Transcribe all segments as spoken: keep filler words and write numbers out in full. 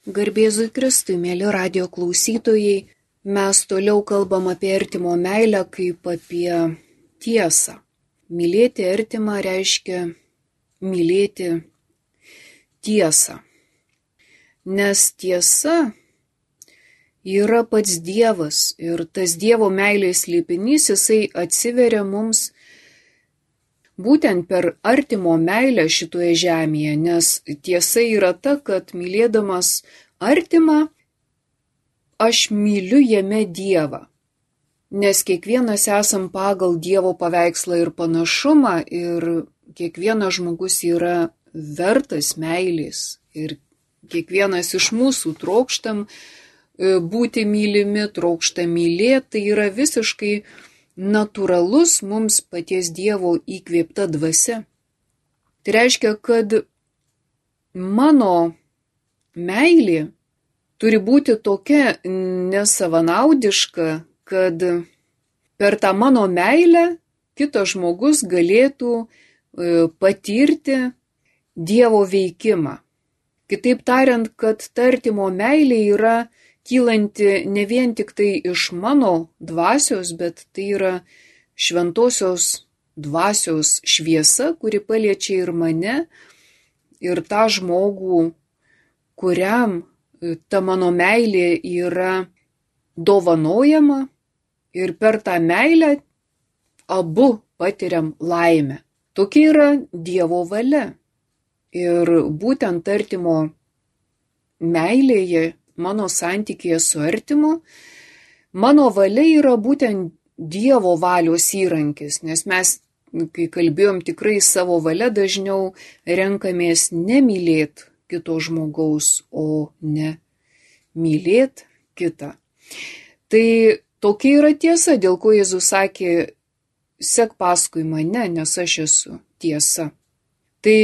Garbėzui Kristui, mėly radio klausytojai, mes toliau kalbam apie artimo meilę kaip apie tiesą. Mylėti artimą reiškia mylėti tiesą. Nes tiesa yra pats Dievas ir tas Dievo meilės slėpinys, jisai atsiveria mums būtent per artimo meilę šitoje žemėje, nes tiesa yra ta, kad mylėdamas artimą, aš myliu jame Dievą. Nes kiekvienas esam pagal Dievo paveikslą ir panašumą ir kiekvienas žmogus yra vertas meilės. Ir kiekvienas iš mūsų trokštam būti mylimi, trokštam mylėti, tai yra visiškai natūralus mums paties Dievo įkvėpta dvasia. Tai reiškia, kad mano meilė turi būti tokia nesavanaudiška, kad per tą mano meilę kitas žmogus galėtų patirti Dievo veikimą. Kitaip tariant, kad ta artimo meilė yra kylanti ne vien tik tai iš mano dvasios, bet tai yra šventosios dvasios šviesa, kuri paliečia ir mane, ir tą žmogų, kuriam ta mano meilė yra dovanojama, ir per tą meilę abu patiriam laimę. Tokia yra Dievo valia. Ir būtent artimo meilėje, mano santykėje su artimu, mano valia yra būtent Dievo valios įrankis, nes mes, kai kalbėjom, tikrai savo valia dažniau renkamės nemylėti kito žmogaus, o ne mylėti kitą. Tai tokia yra tiesa, dėl ko Jėzus sakė, sek paskui mane, nes aš esu tiesa. Tai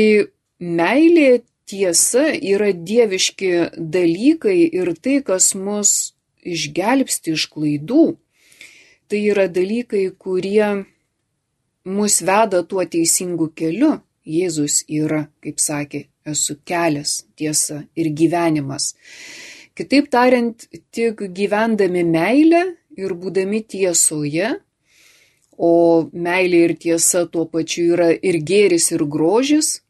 meilė, tiesa yra dieviški dalykai ir tai, kas mus išgelbsti iš klaidų, tai yra dalykai, kurie mus veda tuo teisingu keliu. Jėzus yra, kaip sakė, esu kelias, tiesa ir gyvenimas. Kitaip tariant, tik gyvendami meilę ir būdami tiesoje, o meilė ir tiesa tuo pačiu yra ir gėris, ir grožis,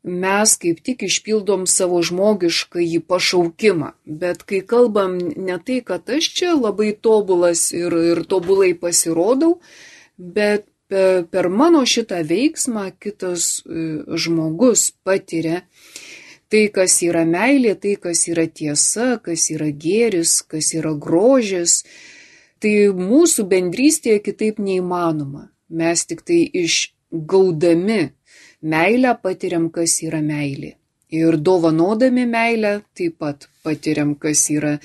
mes kaip tik išpildom savo žmogiškąjį pašaukimą. Bet kai kalbam ne tai, kad aš čia labai tobulas ir, ir tobulai pasirodau, bet per, per mano šitą veiksmą kitas žmogus patiria tai, kas yra meilė, tai, kas yra tiesa, kas yra gėris, kas yra grožis. Tai mūsų bendrystėje kitaip neįmanoma. Mes tik tai išgaudami meilę patiriam, kas yra meilė. Ir dovanodami meilę taip pat patiriam, kas yra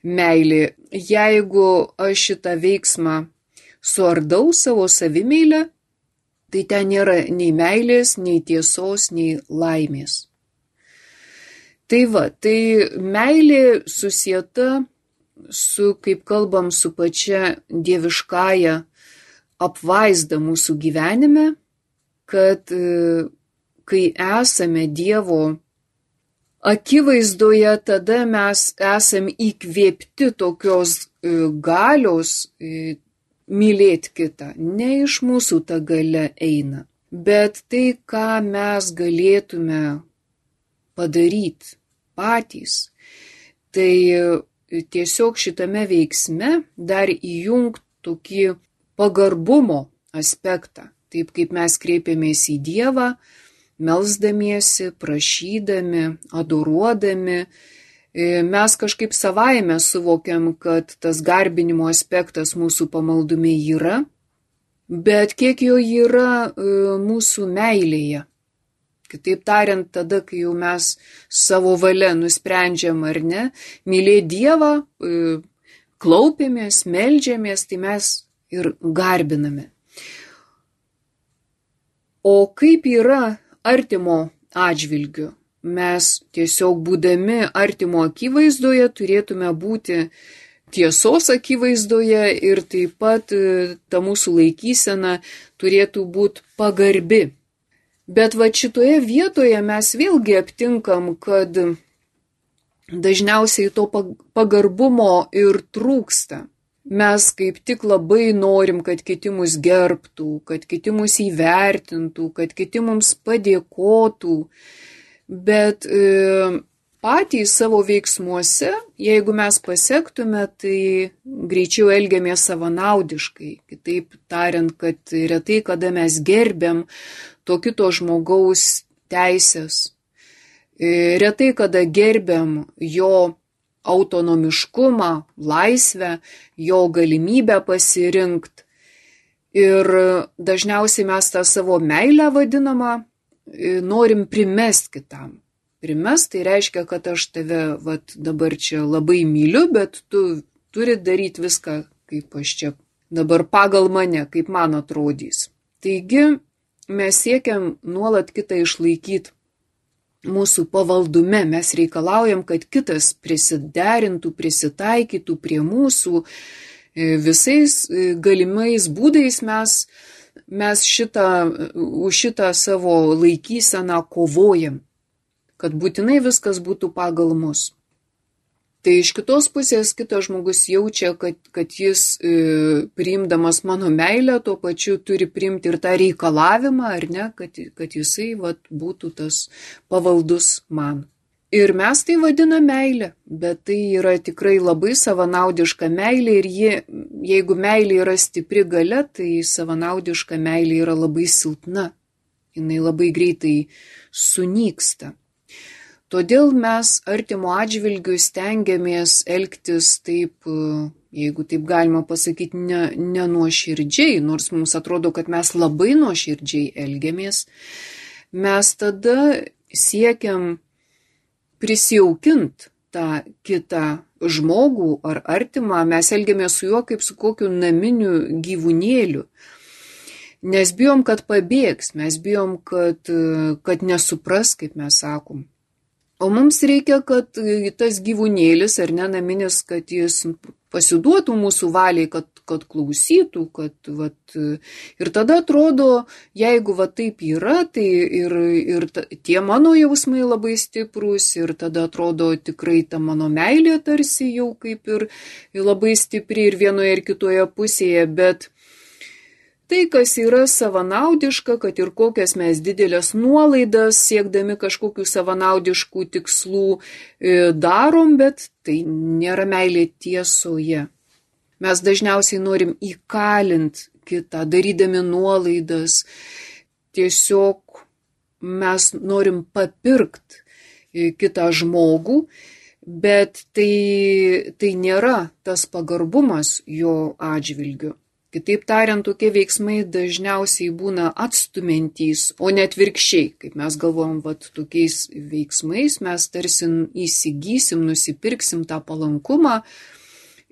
meilė. Jeigu aš šitą veiksmą suardau savo savimeilę, tai ten nėra nei meilės, nei tiesos, nei laimės. Tai va, tai meilė susieta su, kaip kalbam, su pačia dieviškąja apvaizda mūsų gyvenime, kad kai esame Dievo akivaizdoje, tada mes esam įkvėpti tokios galios mylėti kitą. Ne iš mūsų ta galia eina, bet tai, ką mes galėtume padaryti patys. Tai tiesiog šitame veiksme dar įjungt tokį pagarbumo aspektą. Taip kaip mes kreipiamės į Dievą, melsdamiesi, prašydami, adoruodami, mes kažkaip savaime suvokiam, kad tas garbinimo aspektas mūsų pamaldume yra, bet kiek jo yra mūsų meilėje. Kitaip tariant, tada, kai jau mes savo valia nusprendžiam ar ne, mylėti Dievą, klaupiamės, meldžiamės, tai mes ir garbiname. O kaip yra artimo atžvilgiu? Mes tiesiog būdami artimo akivaizdoje turėtume būti tiesos akivaizdoje ir taip pat ta mūsų laikysena turėtų būti pagarbi. Bet va šitoje vietoje mes vėlgi aptinkam, kad dažniausiai to pagarbumo ir trūksta. Mes kaip tik labai norim, kad kiti mus gerbtų, kad kiti mus įvertintų, kad kiti mums padėkotų, bet e, patys savo veiksmuose, jeigu mes pasektume, tai greičiau elgiamės savanaudiškai. Kitaip tariant, kad retai kada mes gerbiam to kito žmogaus teisės. Retai kada gerbiam jo autonomiškumą, laisvę, jo galimybę pasirinkti. Ir dažniausiai mes tą savo meilę vadinamą norim primest kitam. Primest tai reiškia, kad aš tave vat, dabar čia labai myliu, bet tu turi daryti viską, kaip aš čia dabar pagal mane, kaip man atrodys. Taigi mes siekiam nuolat kitą išlaikyti mūsų pavaldume, mes reikalaujam, kad kitas prisiderintų, prisitaikytų prie mūsų, visais galimais būdais mes, mes šitą, už šitą savo laikyseną kovojam, kad būtinai viskas būtų pagal mus. Tai iš kitos pusės kitas žmogus jaučia, kad, kad jis e, priimdamas mano meilę, tuo pačiu turi priimti ir tą reikalavimą, ar ne, kad, kad jisai vat, būtų tas pavaldus man. Ir mes tai vadiname meilę, bet tai yra tikrai labai savanaudiška meilė ir ji, jeigu meilė yra stipri galia, tai savanaudiška meilė yra labai silpna. Jinai labai greitai sunyksta. Todėl mes artimo atžvilgiu stengiamės elgtis taip, jeigu taip galima pasakyti, ne, ne nuoširdžiai, nors mums atrodo, kad mes labai nuoširdžiai elgiamės. Mes tada siekiam prisijaukinti tą kitą žmogų ar artimą, mes elgiamės su juo kaip su kokiu naminiu gyvūnėliu. Nes bijom, kad pabėgs, mes bijom, kad, kad nesupras, kaip mes sakom. O mums reikia, kad tas gyvūnėlis ar ne naminis, kad jis pasiduotų mūsų valiai, kad, kad klausytų, kad, vat, ir tada atrodo, jeigu va taip yra, tai ir, ir ta, tie mano jausmai labai stiprūs ir tada atrodo tikrai ta mano meilė tarsi jau kaip ir labai stipri ir vienoje ir kitoje pusėje, bet tai, kas yra savanaudiška, kad ir kokias mes didelės nuolaidas siekdami kažkokių savanaudiškų tikslų darom, bet tai nėra meilė tiesoje. Mes dažniausiai norim įkalinti kitą, darydami nuolaidas. Tiesiog mes norim papirkti kitą žmogų, bet tai, tai nėra tas pagarbumas jo atžvilgiu. Kitaip tariant, tokie veiksmai dažniausiai būna atstumiantys, o net virkščiai. Kaip mes galvojam, vat, tokiais veiksmais mes tarsi įsigysim, nusipirksim tą palankumą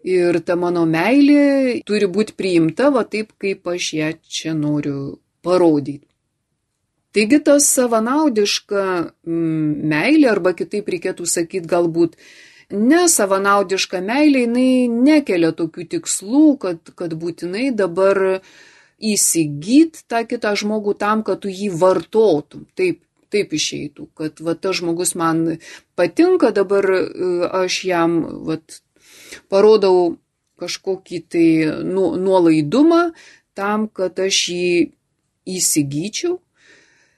ir ta mano meilė turi būti priimta va taip, kaip aš ją čia noriu parodyti. Taigi tas savanaudiška meilė, arba kitaip reikėtų sakyti galbūt, nesavanaudiška meilė, jinai nekelia tokių tikslų, kad, kad būtinai dabar įsigyt tą kitą žmogų tam, kad tu jį vartotum. Taip, taip išeitų, kad va, tas žmogus man patinka, dabar aš jam vat, parodau kažkokį tai nu, nuolaidumą tam, kad aš jį įsigyčiau.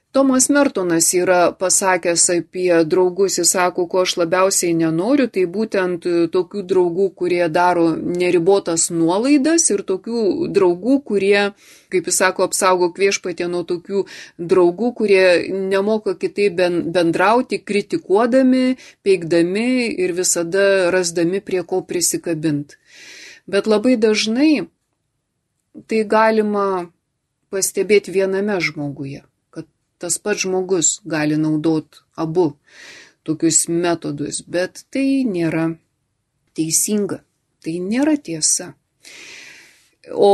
Tomas Mertonas yra pasakęs apie draugus, jis sako, ko aš labiausiai nenoriu, tai būtent tokių draugų, kurie daro neribotas nuolaidas ir tokių draugų, kurie, kaip jis sako, apsaugo viešpatie nuo tokių draugų, kurie nemoka kitaip bendrauti, kritikuodami, peikdami ir visada rasdami prie ko prisikabinti. Bet labai dažnai tai galima pastebėti viename žmoguje. Tas pats žmogus gali naudoti abu tokius metodus, bet tai nėra teisinga, tai nėra tiesa. O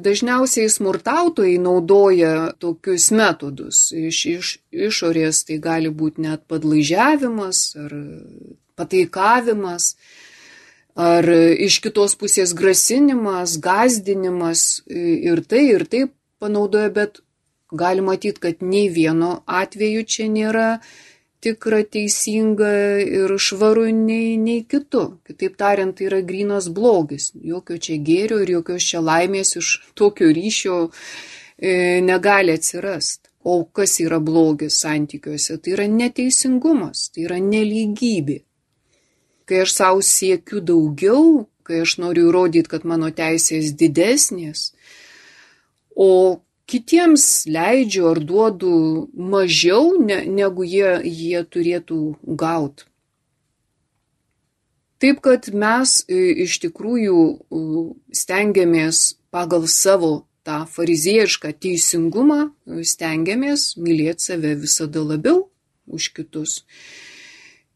dažniausiai smurtautojai naudoja tokius metodus. Iš, iš išorės tai gali būti net padlaižiavimas ar pataikavimas, ar iš kitos pusės grasinimas, gąsdinimas ir tai ir taip panaudoja, bet gali matyti, kad nei vieno atveju čia nėra tikra, teisinga ir švaru nei, nei kitu. Kitaip tariant, tai yra grynas blogis. Jokio čia gėrio ir jokios čia laimės iš tokio ryšio e, negali atsirasti. O kas yra blogis santykiuose? Tai yra neteisingumas, tai yra nelygybė. Kai aš savo siekiu daugiau, kai aš noriu įrodyti, kad mano teisės didesnės, o kitiems leidžiu ar duodu mažiau, ne, negu jie, jie turėtų gauti. Taip, kad mes iš tikrųjų stengiamės pagal savo tą fariziejišką teisingumą, stengiamės mylėti save visada labiau už kitus.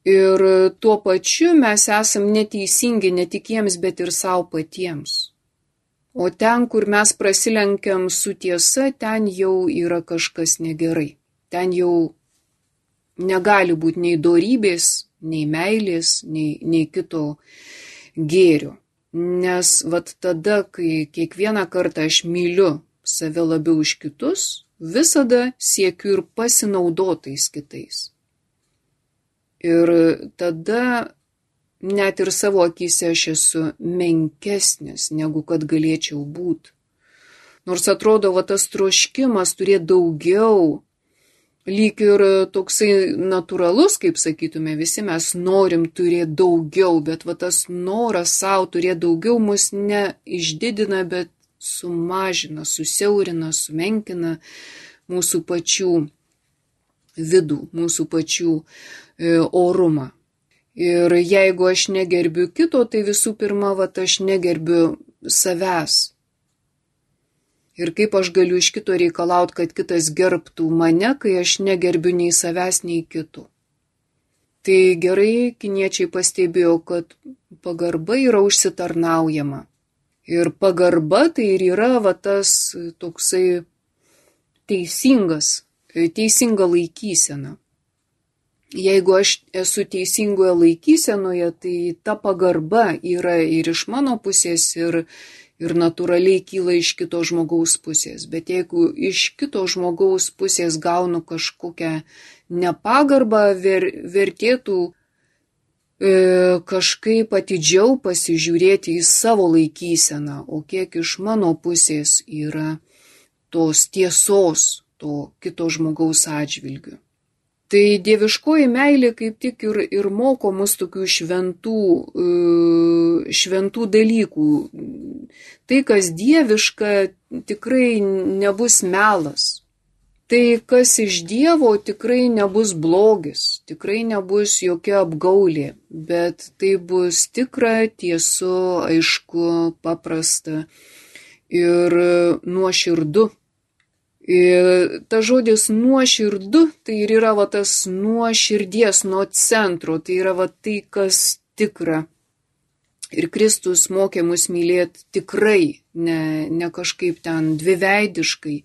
Ir tuo pačiu mes esam neteisingi ne tik jiems, bet ir savo patiems. O ten, kur mes prasilenkiam su tiesa, ten jau yra kažkas negerai. Ten jau negali būti nei dorybės, nei meilės, nei, nei kito gėrio. Nes vat tada, kai kiekvieną kartą aš myliu save labiau už kitus, visada siekiu ir pasinaudotais kitais. Ir tada net ir savo akyse aš esu menkesnis, negu kad galėčiau būti. Nors atrodo, va tas troškimas turėti daugiau, lyg ir toksai natūralus, kaip sakytume, visi mes norim turėti daugiau, bet va tas noras savo turėti daugiau mus ne išdidina, bet sumažina, susiaurina, sumenkina mūsų pačių vidų, mūsų pačių e, orumą. Ir jeigu aš negerbiu kito, tai visų pirma, va, aš negerbiu savęs. Ir kaip aš galiu iš kito reikalauti, kad kitas gerbtų mane, kai aš negerbiu nei savęs, nei kito. Tai gerai kiniečiai pastebėjo, kad pagarba yra užsitarnaujama. Ir pagarba tai ir yra va, tas toksai teisingas, teisinga laikysena. Jeigu aš esu teisingoje laikysenoje, tai ta pagarba yra ir iš mano pusės, ir ir natūraliai kyla iš kito žmogaus pusės. Bet jeigu iš kito žmogaus pusės gaunu kažkokią nepagarbą, ver, vertėtų e, kažkaip atidžiau pasižiūrėti į savo laikyseną, o kiek iš mano pusės yra tos tiesos, to kito žmogaus atžvilgiu. Tai dieviškoji meilė kaip tik ir, ir moko mus tokių šventų, šventų dalykų. Tai, kas dieviška, tikrai nebus melas. Tai, kas iš Dievo, tikrai nebus blogis, tikrai nebus jokia apgaulė, bet tai bus tikra, tiesu, aišku, paprasta ir nuoširdu. Ir ta žodis nuoširdu, tai ir yra va, tas nuo širdies, nuo centro, tai yra va, tai, kas tikra. Ir Kristus mokė mus mylėti tikrai, ne, ne kažkaip ten dviveidiškai,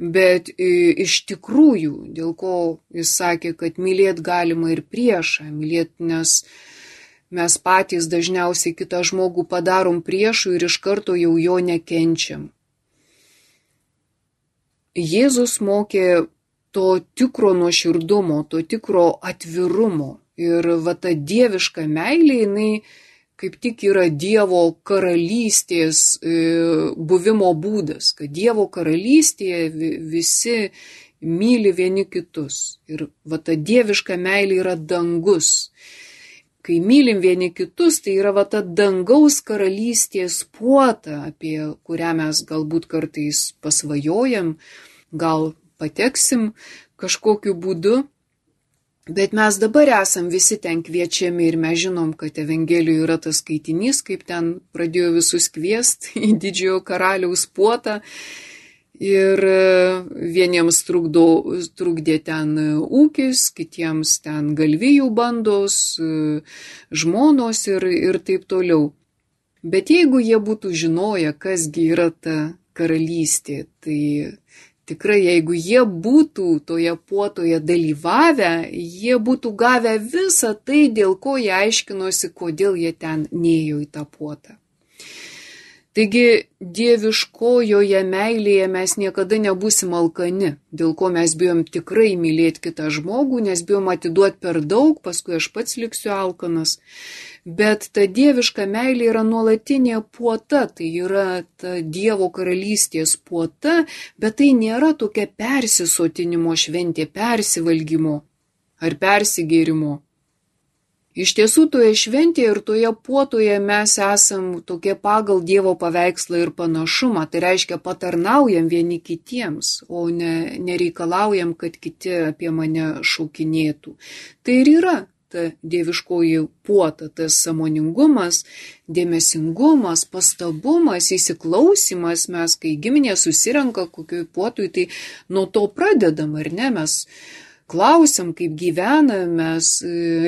bet iš tikrųjų, dėl ko jis sakė, kad mylėti galima ir priešą, mylėti, nes mes patys dažniausiai kitą žmogų padarom priešų ir iš karto jau jo nekenčiam. Jėzus mokė to tikro nuoširdumo, to tikro atvirumo. Ir va ta dieviška meilė, jinai kaip tik yra Dievo karalystės e, buvimo būdas, kad Dievo karalystėje visi myli vieni kitus. Ir va ta dieviška meilė yra dangus. Kai mylim vieni kitus, tai yra va ta dangaus karalystės puota, apie kurią mes galbūt kartais pasvajojam, gal pateksim kažkokiu būdu, bet mes dabar esam visi ten kviečiami ir mes žinom, kad Evangelijoje yra tas skaitinys, kaip ten pradėjo visus kviesti į didžiojo karaliaus puotą. Ir vieniems trukdo, trukdė ten ūkis, kitiems ten galvijų bandos, žmonos ir, ir taip toliau. Bet jeigu jie būtų žinoję, kasgi yra ta karalystė, tai tikrai jeigu jie būtų toje puotoje dalyvavę, jie būtų gavę visą tai, dėl ko jie aiškinosi, kodėl jie ten nėjo į tą puotą. Taigi dieviškojoje meilėje mes niekada nebūsim alkani, dėl ko mes bijom tikrai mylėti kitą žmogų, nes bijom atiduoti per daug, paskui aš pats liksiu alkanas. Bet ta dieviška meilė yra nuolatinė puota, tai yra ta Dievo karalystės puota, bet tai nėra tokia persisotinimo šventė, persivalgymo ar persigėrimo. Iš tiesų toje šventėje ir toje puotoje mes esam tokie pagal Dievo paveikslą ir panašumą, tai reiškia patarnaujam vieni kitiems, o ne, nereikalaujam, kad kiti apie mane šaukinėtų. Tai ir yra ta dieviškoji puota, tas sąmoningumas, dėmesingumas, pastabumas, įsiklausimas. Mes, kai giminė susirenka kokioj puotui, tai nuo to pradedam, ar ne? Mes klausiam, kaip gyvena, mes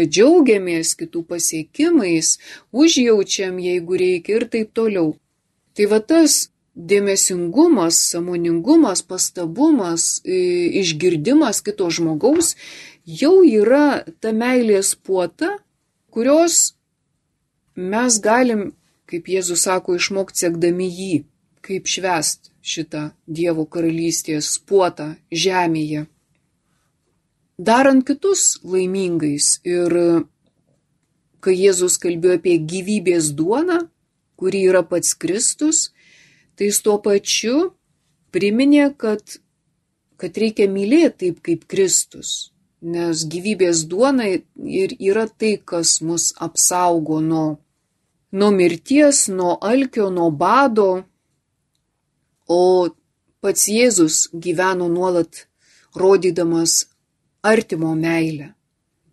džiaugiamės kitų pasiekimais, užjaučiam, jeigu reikia ir taip toliau. Tai va tas dėmesingumas, sąmoningumas, pastabumas, išgirdimas kito žmogaus jau yra ta meilės puota, kurios mes galim, kaip Jėzus sako, išmokti sekdami jį, kaip švęst šitą Dievo karalystės puotą žemėje. Darant kitus laimingais. Ir kai Jėzus kalbėjo apie gyvybės duoną, kuri yra pats Kristus, tai jis tuo pačiu priminė, kad, kad reikia mylėti taip kaip Kristus. Nes gyvybės duona ir yra tai, kas mus apsaugo nuo, nuo mirties, nuo alkio, nuo bado. O pats Jėzus gyveno nuolat rodydamas artimo meilę.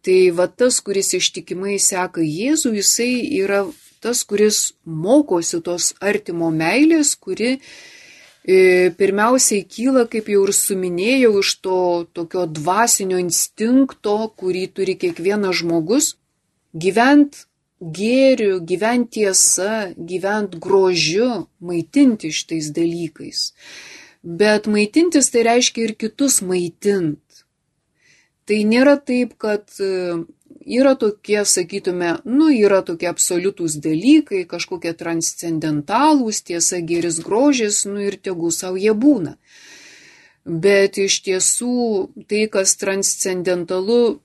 Tai va tas, kuris ištikimai seka Jėzų, jisai yra tas, kuris mokosi tos artimo meilės, kuri e, pirmiausiai kyla, kaip jau ir suminėjau, iš to tokio dvasinio instinkto, kurį turi kiekvienas žmogus, gyvent gėriu, gyvent tiesa, gyvent grožiu, maitinti šitais dalykais. Bet maitintis tai reiškia ir kitus maitint. Tai nėra taip, kad yra tokie, sakytume, nu, yra tokie absoliutūs dalykai, kažkokie transcendentalūs, tiesa, gėris, grožis, nu ir tegul savo jie būna. Bet iš tiesų tai, kas transcendentalu,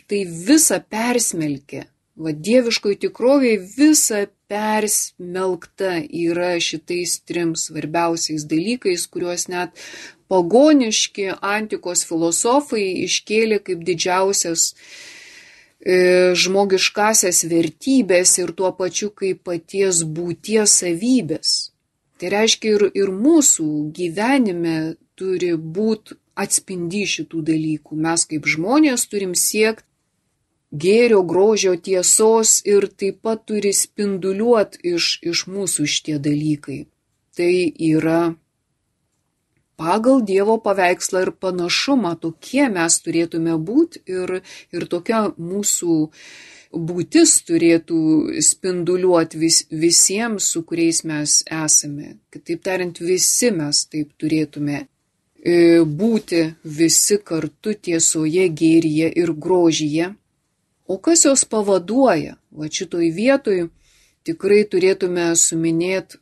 tai visa persmelkia. Va, dieviškoj tikrovėje visa persmelkta yra šitais trim svarbiausiais dalykais, kuriuos net pagoniški antikos filosofai iškėlė kaip didžiausias e, žmogiškasias vertybės ir tuo pačiu kaip paties būties savybės. Tai reiškia ir, ir mūsų gyvenime turi būti atspindi šitų dalykų. Mes kaip žmonės turim siekti gėrio, grožio, tiesos ir taip pat turi spinduliuoti iš, iš mūsų šitie dalykai. Tai yra pagal Dievo paveikslą ir panašumą, tokie mes turėtume būti ir, ir tokia mūsų būtis turėtų spinduliuoti vis, visiems, su kuriais mes esame. Kitaip tariant, visi mes taip turėtume būti visi kartu tiesoje, gėryje ir grožyje. O kas jos pavaduoja? Va šitoj vietoj tikrai turėtume suminėti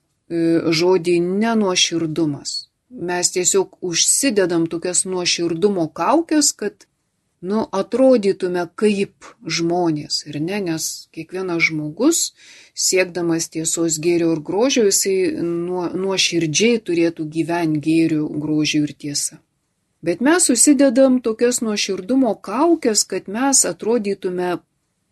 žodį nenuoširdumas. Mes tiesiog užsidedam tokias nuoširdumo kaukės, kad nu, atrodytume kaip žmonės, ir ne, nes kiekvienas žmogus, siekdamas tiesos, gėrio ir grožio, jisai nuo, nuoširdžiai turėtų gyventi gėriu, grožiu ir tiesa. Bet mes susidedam tokias nuoširdumo kaukės, kad mes atrodytume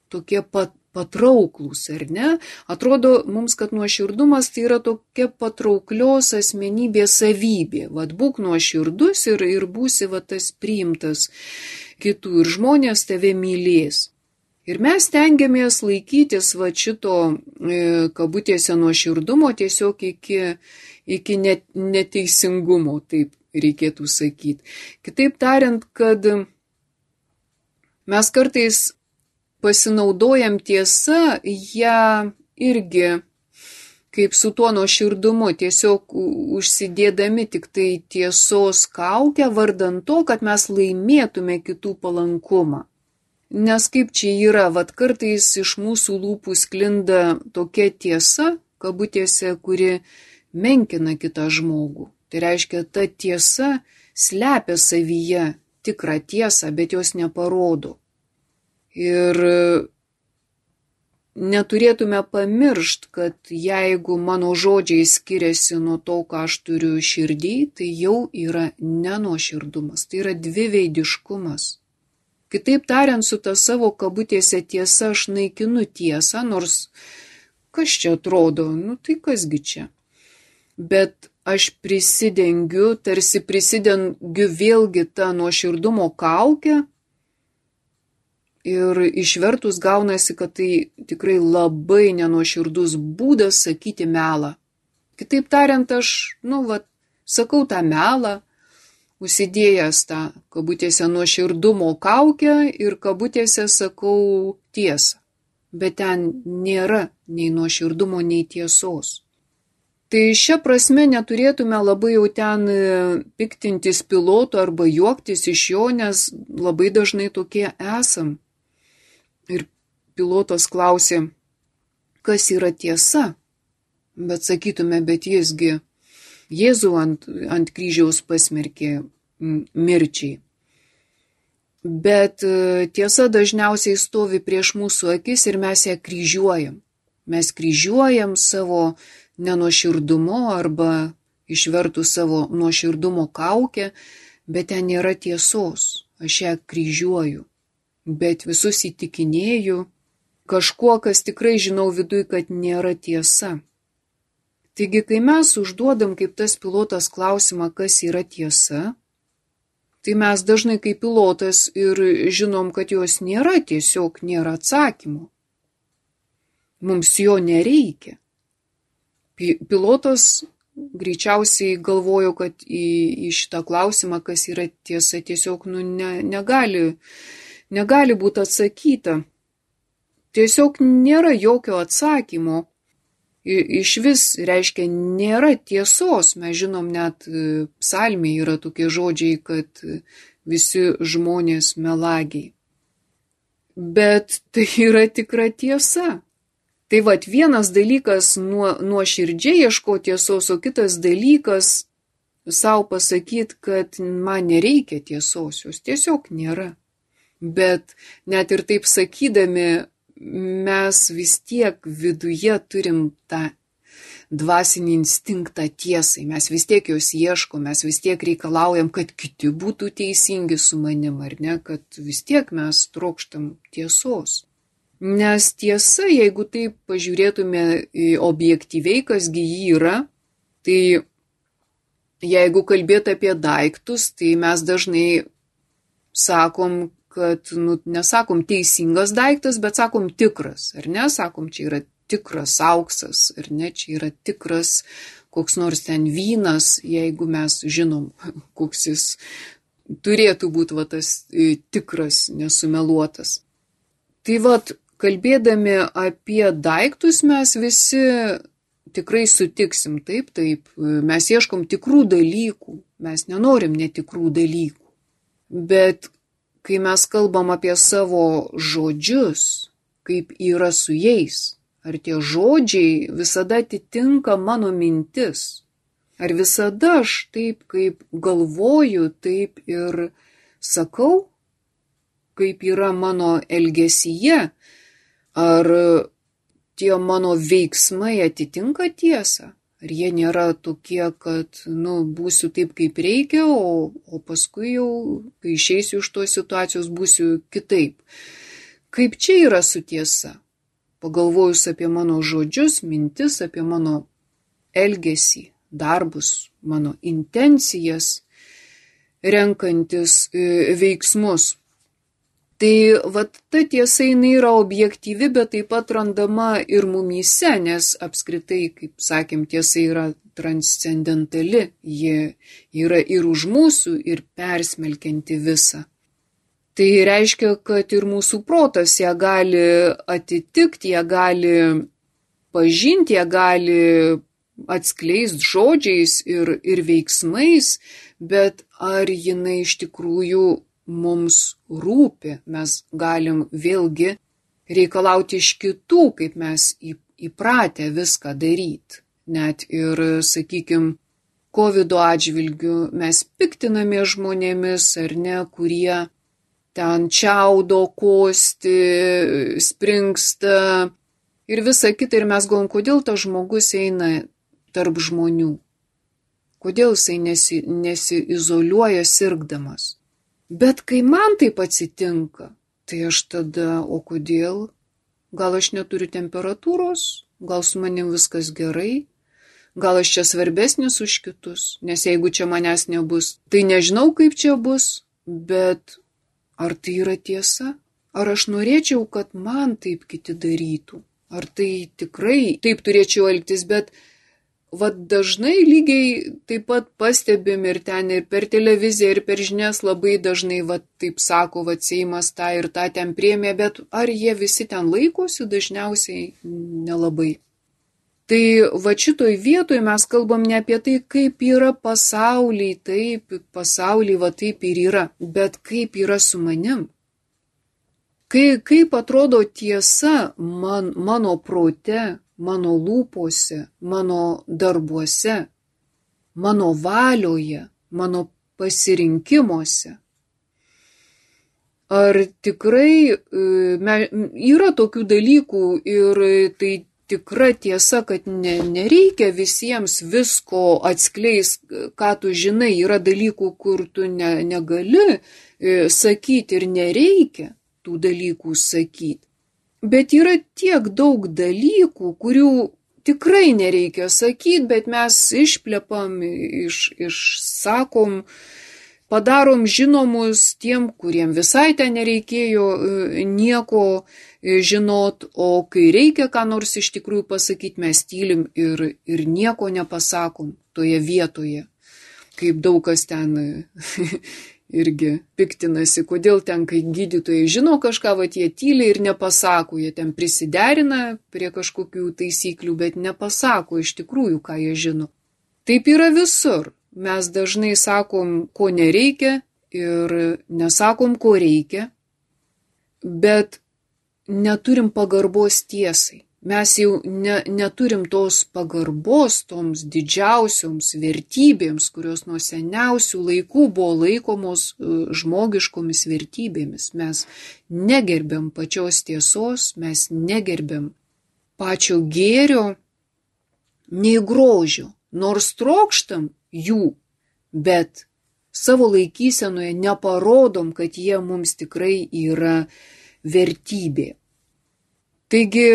tokie pat patrauklūs, ar ne? Atrodo mums, kad nuoširdumas tai yra tokia patrauklios asmenybės savybė. Vat būk nuoširdus ir, ir būsi va tas priimtas kitų ir žmonės tave mylės. Ir mes stengiamės laikytis va šito e, kabutėse nuoširdumo tiesiog iki, iki net, neteisingumo, taip reikėtų sakyti. Kitaip tariant, kad mes kartais pasinaudojam tiesa, ją irgi kaip su tuo nuoširdumu, tiesiog užsidėdami tik tai tiesos kaukę, vardan to, kad mes laimėtume kitų palankumą. Nes kaip čia yra, vat kartais iš mūsų lūpų sklinda tokia tiesa, kabutėse, kuri menkina kitą žmogų. Tai reiškia, ta tiesa slepia savyje tikrą tiesą, bet jos neparodo. Ir neturėtume pamiršti, kad jeigu mano žodžiai skiriasi nuo to, ką aš turiu širdį, tai jau yra nenuoširdumas, tai yra dviveidiškumas. Kitaip tariant, su ta savo kabutėse tiesa aš naikinu tiesą, nors kas čia atrodo, nu tai kasgi čia. Bet aš prisidengiu, tarsi prisidengiu vėlgi tą nuoširdumo kaukę ir išvertus gaunasi, kad tai tikrai labai nenuoširdus būdas sakyti melą. Kitaip tariant, aš, nu, va, sakau tą melą, užsidėjęs tą kabutėse nuoširdumo kaukę ir kabutėse sakau tiesą. Bet ten nėra nei nuoširdumo, nei tiesos. Tai šia prasme neturėtume labai jau ten piktintis piloto arba juoktis iš jo, nes labai dažnai tokie esam. Ir pilotas klausė, kas yra tiesa? Bet sakytume, bet jisgi Jėzų ant, ant kryžiaus pasmerkė mirčiai. Bet tiesa dažniausiai stovi prieš mūsų akis ir mes ją kryžiuojam. Mes kryžiuojam savo nenuoširdumu arba išvertus savo nuoširdumo kaukę, bet ten nėra tiesos. Aš ją kryžiuoju, bet visus įtikinėju kažkuo, kas tikrai žinau viduj, kad nėra tiesa. Taigi, kai mes užduodam kaip tas pilotas klausimą, kas yra tiesa, tai mes dažnai kaip pilotas ir žinom, kad jos nėra, tiesiog nėra atsakymo. Mums jo nereikia. Pilotas greičiausiai galvojo, kad į, į šitą klausimą, kas yra tiesa, tiesiog nu, ne, negali, negali būti atsakyta. Tiesiog nėra jokio atsakymo. Iš vis reiškia nėra tiesos. Mes žinom, net psalmėje yra tokie žodžiai, kad visi žmonės melagiai. Bet tai yra tikra tiesa. Tai vat vienas dalykas nuo, nuoširdžiai ieškoti tiesos, o kitas dalykas savo pasakyti, kad man nereikia tiesos, jos tiesiog nėra. Bet net ir taip sakydami, mes vis tiek viduje turim tą dvasinį instinktą tiesai, mes vis tiek jos ieškom, mes vis tiek reikalaujam, kad kiti būtų teisingi su manim, ar ne, kad vis tiek mes trokštam tiesos. Nes tiesa, jeigu taip pažiūrėtume objektyviai, kasgi jį yra, tai jeigu kalbėt apie daiktus, tai mes dažnai sakom, kad, nu, nesakom teisingas daiktas, bet sakom tikras, ar ne? Sakom, čia yra tikras auksas, ar ne? Čia yra tikras koks nors ten vynas, jeigu mes žinom, koks jis turėtų būti va, tas tikras, nesumeluotas. Tai vat, kalbėdami apie daiktus, mes visi tikrai sutiksim, taip, taip, mes ieškom tikrų dalykų, mes nenorim netikrų dalykų, bet kai mes kalbam apie savo žodžius, kaip yra su jais, ar tie žodžiai visada atitinka mano mintis, ar visada aš taip, kaip galvoju, taip ir sakau, kaip yra mano elgesyje, ar tie mano veiksmai atitinka tiesą, ar jie nėra tokie, kad, nu, būsiu taip, kaip reikia, o, o paskui jau, kai išeisiu iš tos situacijos, būsiu kitaip. Kaip čia yra su tiesa? Pagalvojus apie mano žodžius, mintis, apie mano elgesį, darbus, mano intencijas, renkantis veiksmus. Tai vat ta tiesa jinai yra objektyvi, bet taip pat randama ir mumyse, nes apskritai, kaip sakėm, tiesa yra transcendentali, ji yra ir už mūsų, ir persmelkianti visą. Tai reiškia, kad ir mūsų protas ją gali atitikti, ją gali pažinti, ją gali atskleisti žodžiais ir, ir veiksmais, bet ar jinai iš tikrųjų mums rūpi, mes galim vėlgi reikalauti iš kitų, kaip mes įpratę viską daryti. net ir, sakykime, kovido atžvilgiu mes piktiname žmonėmis, ar ne, kurie ten čiaudo, kosti, springsta ir visa kita. Ir mes galvom, kodėl tas žmogus eina tarp žmonių. Kodėl jisai nesi, nesiizoliuoja sirgdamas. Bet kai man taip atsitinka, tai aš tada, o kodėl? Gal aš neturiu temperatūros? Gal su manim viskas gerai? Gal aš čia svarbesnis už kitus? Nes jeigu čia manęs nebus, tai nežinau, kaip čia bus, bet ar tai yra tiesa? Ar aš norėčiau, kad man taip kiti darytų? Ar tai tikrai taip turėčiau elgtis? Bet vat dažnai lygiai taip pat pastebim ir ten ir per televiziją, ir per žinias labai dažnai vat taip sako, vat Seimas tą ir tą ten priėmė, bet ar jie visi ten laikosi? Dažniausiai nelabai. Tai va šitoj vietoj mes kalbam ne apie tai, kaip yra pasauliai, taip, pasauliai va taip ir yra, bet kaip yra su manim. Kai, kaip atrodo tiesa man, mano prote, mano lūpose, mano darbuose, mano valioje, mano pasirinkimuose. Ar tikrai yra tokių dalykų ir tai tikra tiesa, kad ne, nereikia visiems visko atskleis, ką tu žinai. Yra dalykų, kur tu ne, negali sakyti ir nereikia tų dalykų sakyti. Bet yra tiek daug dalykų, kurių tikrai nereikia sakyti, bet mes išplepam, iš, išsakom, padarom žinomus tiem, kuriem visai ten nereikėjo nieko žinot, o kai reikia ką nors iš tikrųjų pasakyti, mes tylim ir, ir nieko nepasakom toje vietoje. Kaip daug kas ten irgi piktinasi, kodėl ten, kai gydytojai žino kažką, va jie tyliai ir nepasako, jie ten prisiderina prie kažkokių taisyklių, bet nepasako iš tikrųjų, ką jie žino. Taip yra visur. Mes dažnai sakom, ko nereikia ir nesakom, ko reikia, bet neturim pagarbos tiesai. Mes jau ne, neturim tos pagarbos toms didžiausioms vertybėms, kurios nuo seniausių laikų buvo laikomos žmogiškomis vertybėmis. Mes negerbiam pačios tiesos, mes negerbiam pačio gėrio, nei grožio, nors trokštam jų, bet savo laikysenoje neparodom, kad jie mums tikrai yra vertybė. Taigi,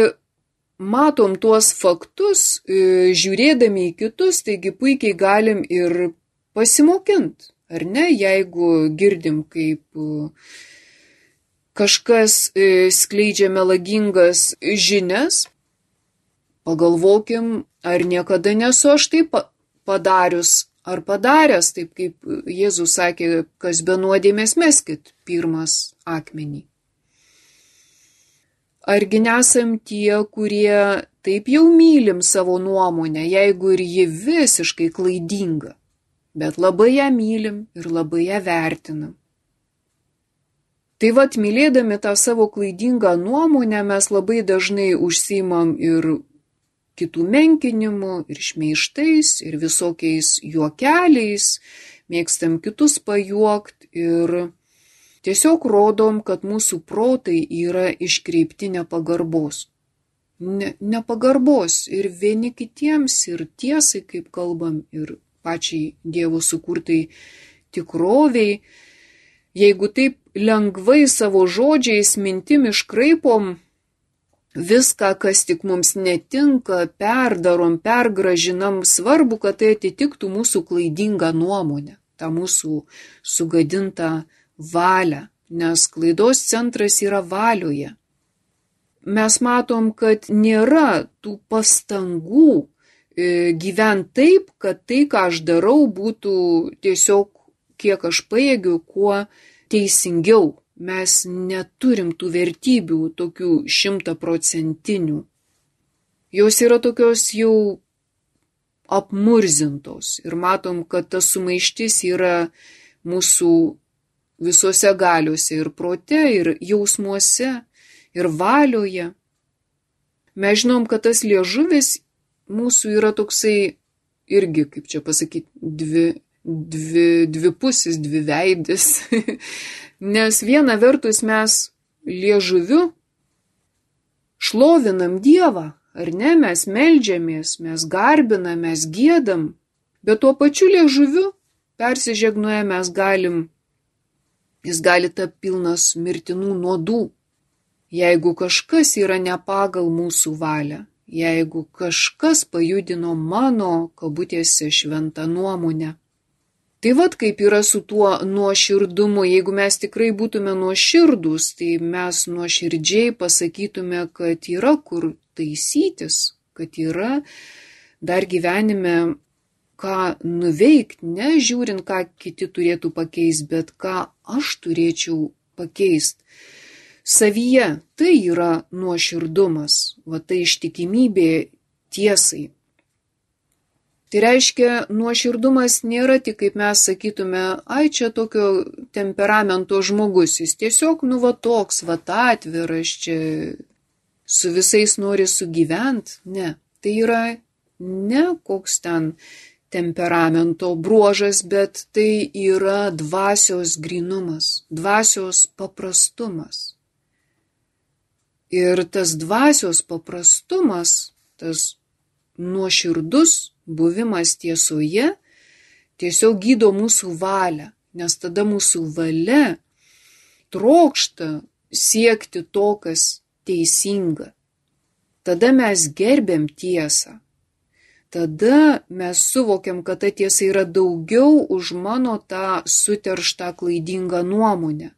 matom tuos faktus, žiūrėdami į kitus, taigi puikiai galim ir pasimokinti, ar ne, jeigu girdim, kaip kažkas skleidžia melagingas žinias, pagalvokim, ar niekada nesu aš taip padarius, ar padaręs, taip kaip Jėzus sakė, kas be nuodėmės meskit pirmas akmenį. Argi nesam tie, kurie taip jau mylim savo nuomonę, jeigu ir ji visiškai klaidinga, bet labai ją mylim ir labai ją vertinam. Tai vat, mylėdami tą savo klaidingą nuomonę, mes labai dažnai užsiimam ir kitų menkinimu, ir šmeižtais, ir visokiais juokeliais, mėgstam kitus pajuokt ir tiesiog rodom, kad mūsų protai yra iškreipti nepagarbos. Ne, nepagarbos ir vieni kitiems, ir tiesai, kaip kalbam, ir pačiai Dievo sukurtai tikroviai. Jeigu taip lengvai savo žodžiais mintim iškraipom viską, kas tik mums netinka, perdarom, pergražinam, svarbu, kad tai atitiktų mūsų klaidingą nuomonę, tą mūsų sugadintą valią, nes klaidos centras yra valioje. Mes matom, kad nėra tų pastangų gyventi taip, kad tai, ką aš darau, būtų tiesiog, kiek aš pajėgiu, kuo teisingiau. Mes neturim tų vertybių tokių šimtaprocentinių. Jos yra tokios jau apmurzintos ir matom, kad ta sumaištis yra mūsų visose galiuose ir prote, ir jausmuose, ir valioje. Mes žinom, kad tas liežuvis mūsų yra toksai irgi, kaip čia pasakyti, dvi, dvi, dvipusis, dviveidis. Nes viena vertus mes liežuviu šlovinam Dievą, ar ne, mes meldžiamės, mes garbinam, mes giedam, bet tuo pačiu liežuviu persižegnoję mes galim, jis gali tapti pilnas mirtinų nuodų. Jeigu kažkas yra ne pagal mūsų valią, jeigu kažkas pajudino mano, kabutėse, šventą nuomonę. Tai vat kaip yra su tuo nuoširdumu, jeigu mes tikrai būtume nuoširdūs, tai mes nuoširdžiai pasakytume, kad yra kur taisytis, kad yra dar gyvenime ką nuveikti, ne žiūrint, ką kiti turėtų pakeisti, bet ką aš turėčiau pakeisti. Savyje tai yra nuoširdumas, va tai ištikimybė tiesai. Tai reiškia, nuoširdumas nėra tik, kaip mes sakytume, ai čia tokio temperamento žmogus, jis tiesiog, nu va toks, va atviras, čia su visais nori sugyvent. Ne, tai yra ne koks ten temperamento bruožas, bet tai yra dvasios grynumas, dvasios paprastumas. Ir tas dvasios paprastumas, tas nuoširdus buvimas tiesoje tiesiog gydo mūsų valią, nes tada mūsų valia trokšta siekti to, kas teisinga. Tada mes gerbiam tiesą. Tada mes suvokiam, kad ta tiesa yra daugiau už mano tą suterštą klaidingą nuomonę,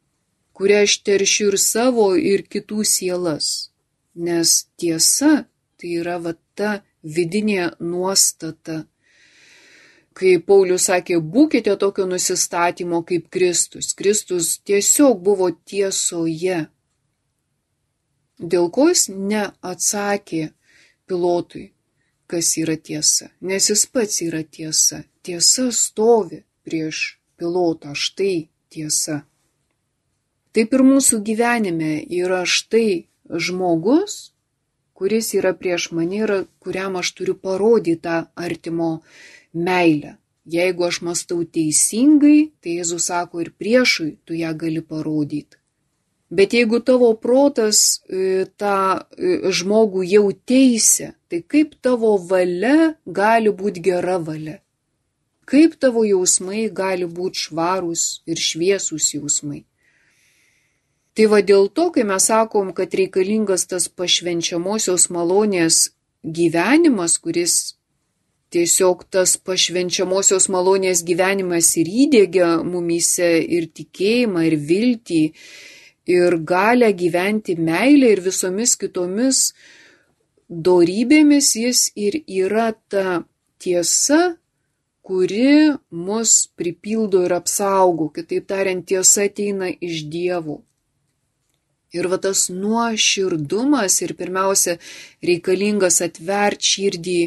kurią aš teršiu ir savo, ir kitų sielas. Nes tiesa tai yra va ta vidinė nuostata. Kai Paulius sakė, būkite tokio nusistatymo kaip Kristus. Kristus tiesiog buvo tiesoje. Dėl ko jis neatsakė Pilotui, kas yra tiesa, nes jis pats yra tiesa. Tiesa stovi prieš Pilotą, štai tiesa. Taip ir mūsų gyvenime yra štai žmogus, kuris yra prieš mane ir kuriam aš turiu parodyti tą artimo meilę. Jeigu aš mąstau teisingai, tai Jėzus sako, ir priešui tu ją gali parodyti. Bet jeigu tavo protas tą žmogų jau teisia, tai kaip tavo valia gali būti gera valia? Kaip tavo jausmai gali būti švarūs ir šviesūs jausmai? Tai va dėl to, kai mes sakom, kad reikalingas tas pašvenčiamosios malonės gyvenimas, kuris tiesiog tas pašvenčiamosios malonės gyvenimas ir įdiegia mumyse ir tikėjimą, ir viltį, ir galę gyventi meilę ir visomis kitomis dorybėmis, jis ir yra ta tiesa, kuri mus pripildo ir apsaugo. Kitaip tariant, tiesa ateina iš Dievo. Ir va tas nuoširdumas ir pirmiausia reikalingas atvert širdį,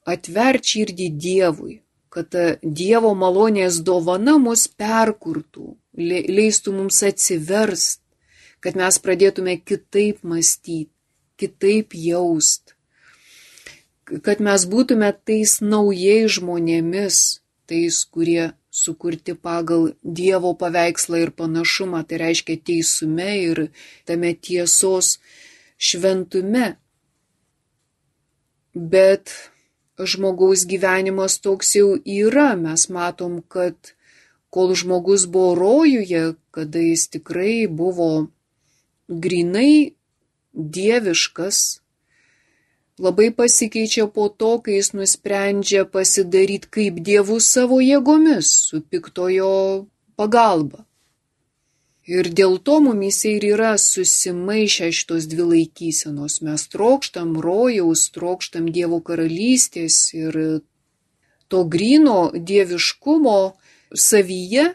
atvert širdį Dievui, kad Dievo malonės dovana mus perkurtų, leistų mums atsiverst, kad mes pradėtume kitaip mąstyti, kitaip jaust, kad mes būtume tais naujais žmonėmis, tais, kurie sukurti pagal Dievo paveikslą ir panašumą, tai reiškia teisume ir tame tiesos šventume. Bet žmogaus gyvenimas toks jau yra, mes matom, kad kol žmogus buvo rojuje, kada jis tikrai buvo grinai dieviškas, labai pasikeičia po to, kai jis nusprendžia pasidaryti kaip Dievu savo jėgomis, su piktojo pagalba. Ir dėl to mumyse ir yra susimaišę šitos dvi laikysenos. Mes trokštam rojaus, trokštam Dievo karalystės ir to gryno dieviškumo savyje.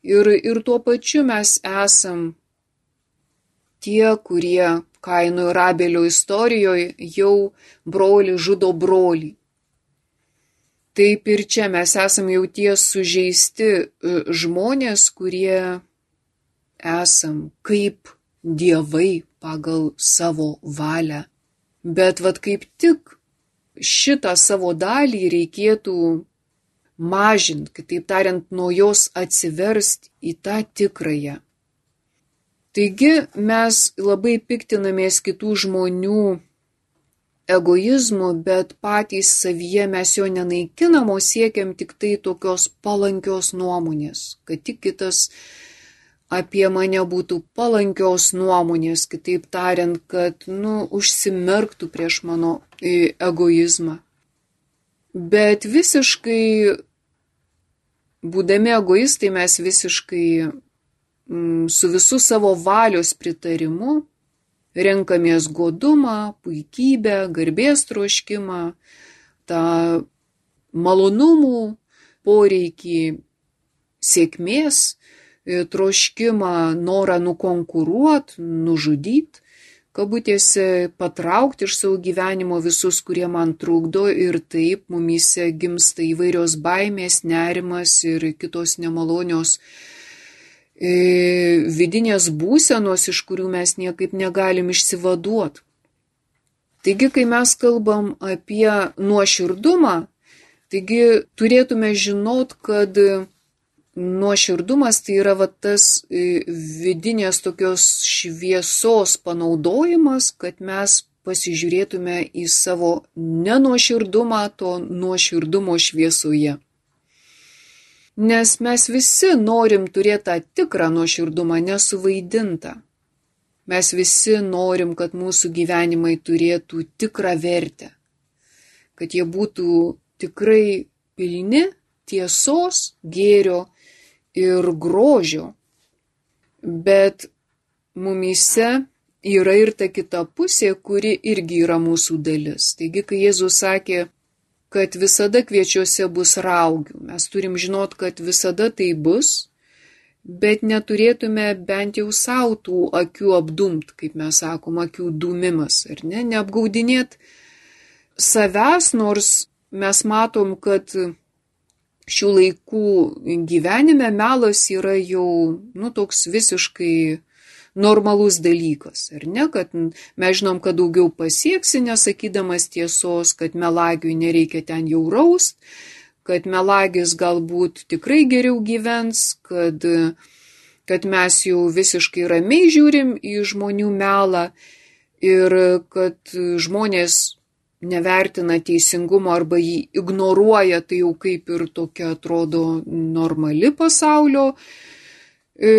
Ir, ir tuo pačiu mes esam tie, kurie Kaino ir Abelio istorijoje jau brolį žudo brolį. Taip ir čia mes esam jau tie sužeisti žmonės, kurie esam kaip dievai pagal savo valią. Bet vat kaip tik šitą savo dalį reikėtų mažinti, kitaip tariant, nuo jos atsiversti į tą tikrąją. Taigi mes labai piktinamės kitų žmonių egoizmu, bet patys savyje mes jo nenaikinam, o siekiam tik tai tokios palankios nuomonės, kad tik kitas apie mane būtų palankios nuomonės, kitaip tariant, kad, nu, užsimerktų prieš mano egoizmą. Bet visiškai, būdami egoistai, mes visiškai mm, su visų savo valios pritarimu renkamės godumą, puikybę, garbės troškimą, tą malonumų poreikį, sėkmės troškimą, norą nukonkuruoti, nužudyti, kabutėse patraukti iš savo gyvenimo visus, kurie man trukdo, ir taip mumyse gimsta įvairios baimės, nerimas ir kitos nemalonios e, vidinės būsenos, iš kurių mes niekaip negalim išsivaduoti. Taigi, kai mes kalbam apie nuoširdumą, taigi turėtume žinot, kad nuoširdumas tai yra va, tas vidinės tokios šviesos panaudojimas, kad mes pasižiūrėtume į savo nenuoširdumą to nuoširdumo šviesoje. Nes mes visi norim turėti tą tikrą nuoširdumą, nesuvaidintą. Mes visi norim, kad mūsų gyvenimai turėtų tikrą vertę, kad jie būtų tikrai pilni tiesos, gėrio ir grožio, bet mumyse yra ir ta kita pusė, kuri irgi yra mūsų dalis. Taigi, kai Jėzus sakė, kad visada kviečiuose bus raugių, mes turim žinot, kad visada tai bus, bet neturėtume bent jau savo tų akių apdumt, kaip mes sakom, akių dūmimas, ar ne, neapgaudinėt savęs, nors mes matom, kad šių laikų gyvenime melas yra jau, nu, toks visiškai normalus dalykas, ar ne, kad mes žinom, kad daugiau pasieksi, nesakydamas tiesos, kad melagiui nereikia ten jau raust, kad melagis galbūt tikrai geriau gyvens, kad, kad mes jau visiškai ramiai žiūrim į žmonių melą ir kad žmonės nevertina teisingumo arba jį ignoruoja, tai jau kaip ir tokia atrodo normali pasaulio e,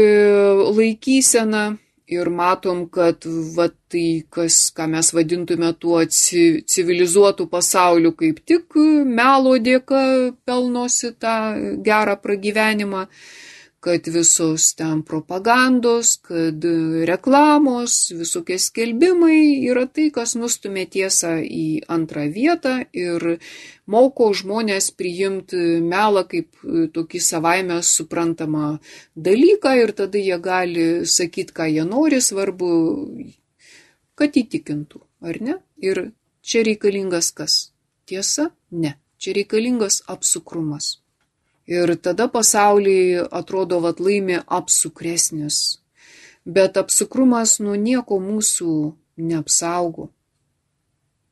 laikysena. Ir matom, kad va, tai, kas, ką mes vadintume tuo civilizuotų pasauliu, kaip tik melo dėka pelnosi tą gerą pragyvenimą, kad visos ten propagandos, kad reklamos, visokie skelbimai yra tai, kas nustumė tiesą į antrą vietą ir moko žmonės priimti melą kaip tokį savaime suprantamą dalyką ir tada jie gali sakyti, ką jie nori, svarbu, kad įtikintų, ar ne? Ir čia reikalingas kas? Tiesa? Ne. Čia reikalingas apsukrumas. Ir tada pasaulyje atrodo, vat laimi apsukresnis. Bet apsukrumas nuo nieko mūsų neapsaugo.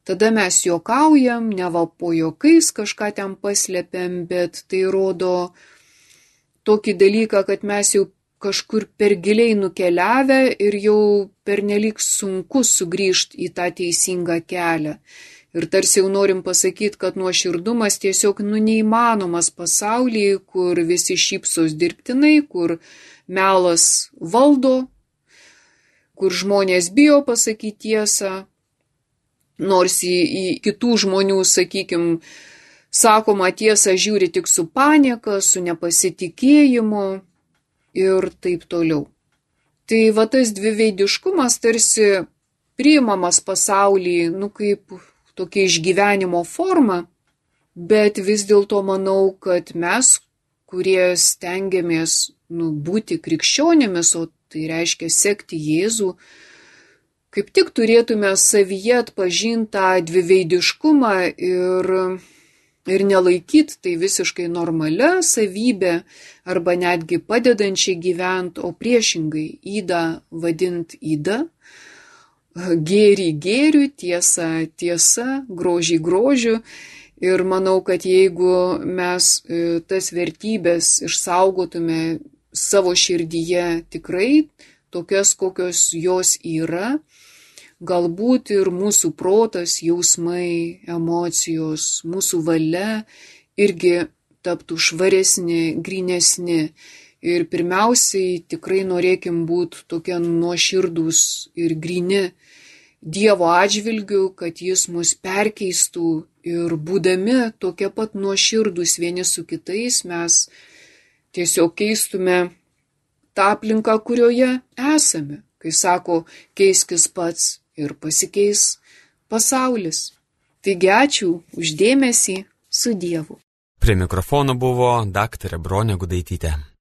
Tada mes juokaujam, neva po juokais kažką ten paslėpiam, bet tai rodo tokį dalyką, kad mes jau kažkur per giliai nukeliavę ir jau pernelyg sunku sugrįžti į tą teisingą kelią. Ir tarsi jau norim pasakyti, kad nuoširdumas tiesiog nu neįmanomas pasaulyje, kur visi šypsos dirbtinai, kur melas valdo, kur žmonės bijo pasakyti tiesą, nors į, į kitų žmonių, sakykim, sakoma tiesą žiūri tik su panieka, su nepasitikėjimu ir taip toliau. Tai va tas dviveidiškumas tarsi priimamas pasaulyje, nu kaip tokia išgyvenimo forma, bet vis dėlto manau, kad mes, kurie stengiamės nu, būti krikščionėmis, o tai reiškia sekti Jėzų, kaip tik turėtume savyje atpažinti tą dviveidiškumą ir, ir nelaikyti tai visiškai normalia savybė arba netgi padedančiai gyventi, o priešingai ydą vadinti ydą, gėrį gėriu, tiesa tiesa, grožį grožiu. Ir manau, kad jeigu mes tas vertybės išsaugotume savo širdyje tikrai, tokias, kokios jos yra, galbūt ir mūsų protas, jausmai, emocijos, mūsų valia irgi taptų švaresni, grynesni. Ir pirmiausiai tikrai norėkim būti tokie nuoširdūs ir gryni Dievo atžvilgiu, kad jis mus perkeistų ir būdami tokie pat nuoširdūs vieni su kitais, mes tiesiog keistume tą aplinką, kurioje esame. Kai sako, keiskis pats ir pasikeis pasaulis. Taigi ačiū už dėmesį, su Dievu. Prie mikrofono buvo daktarė Bronė Gudaitytė.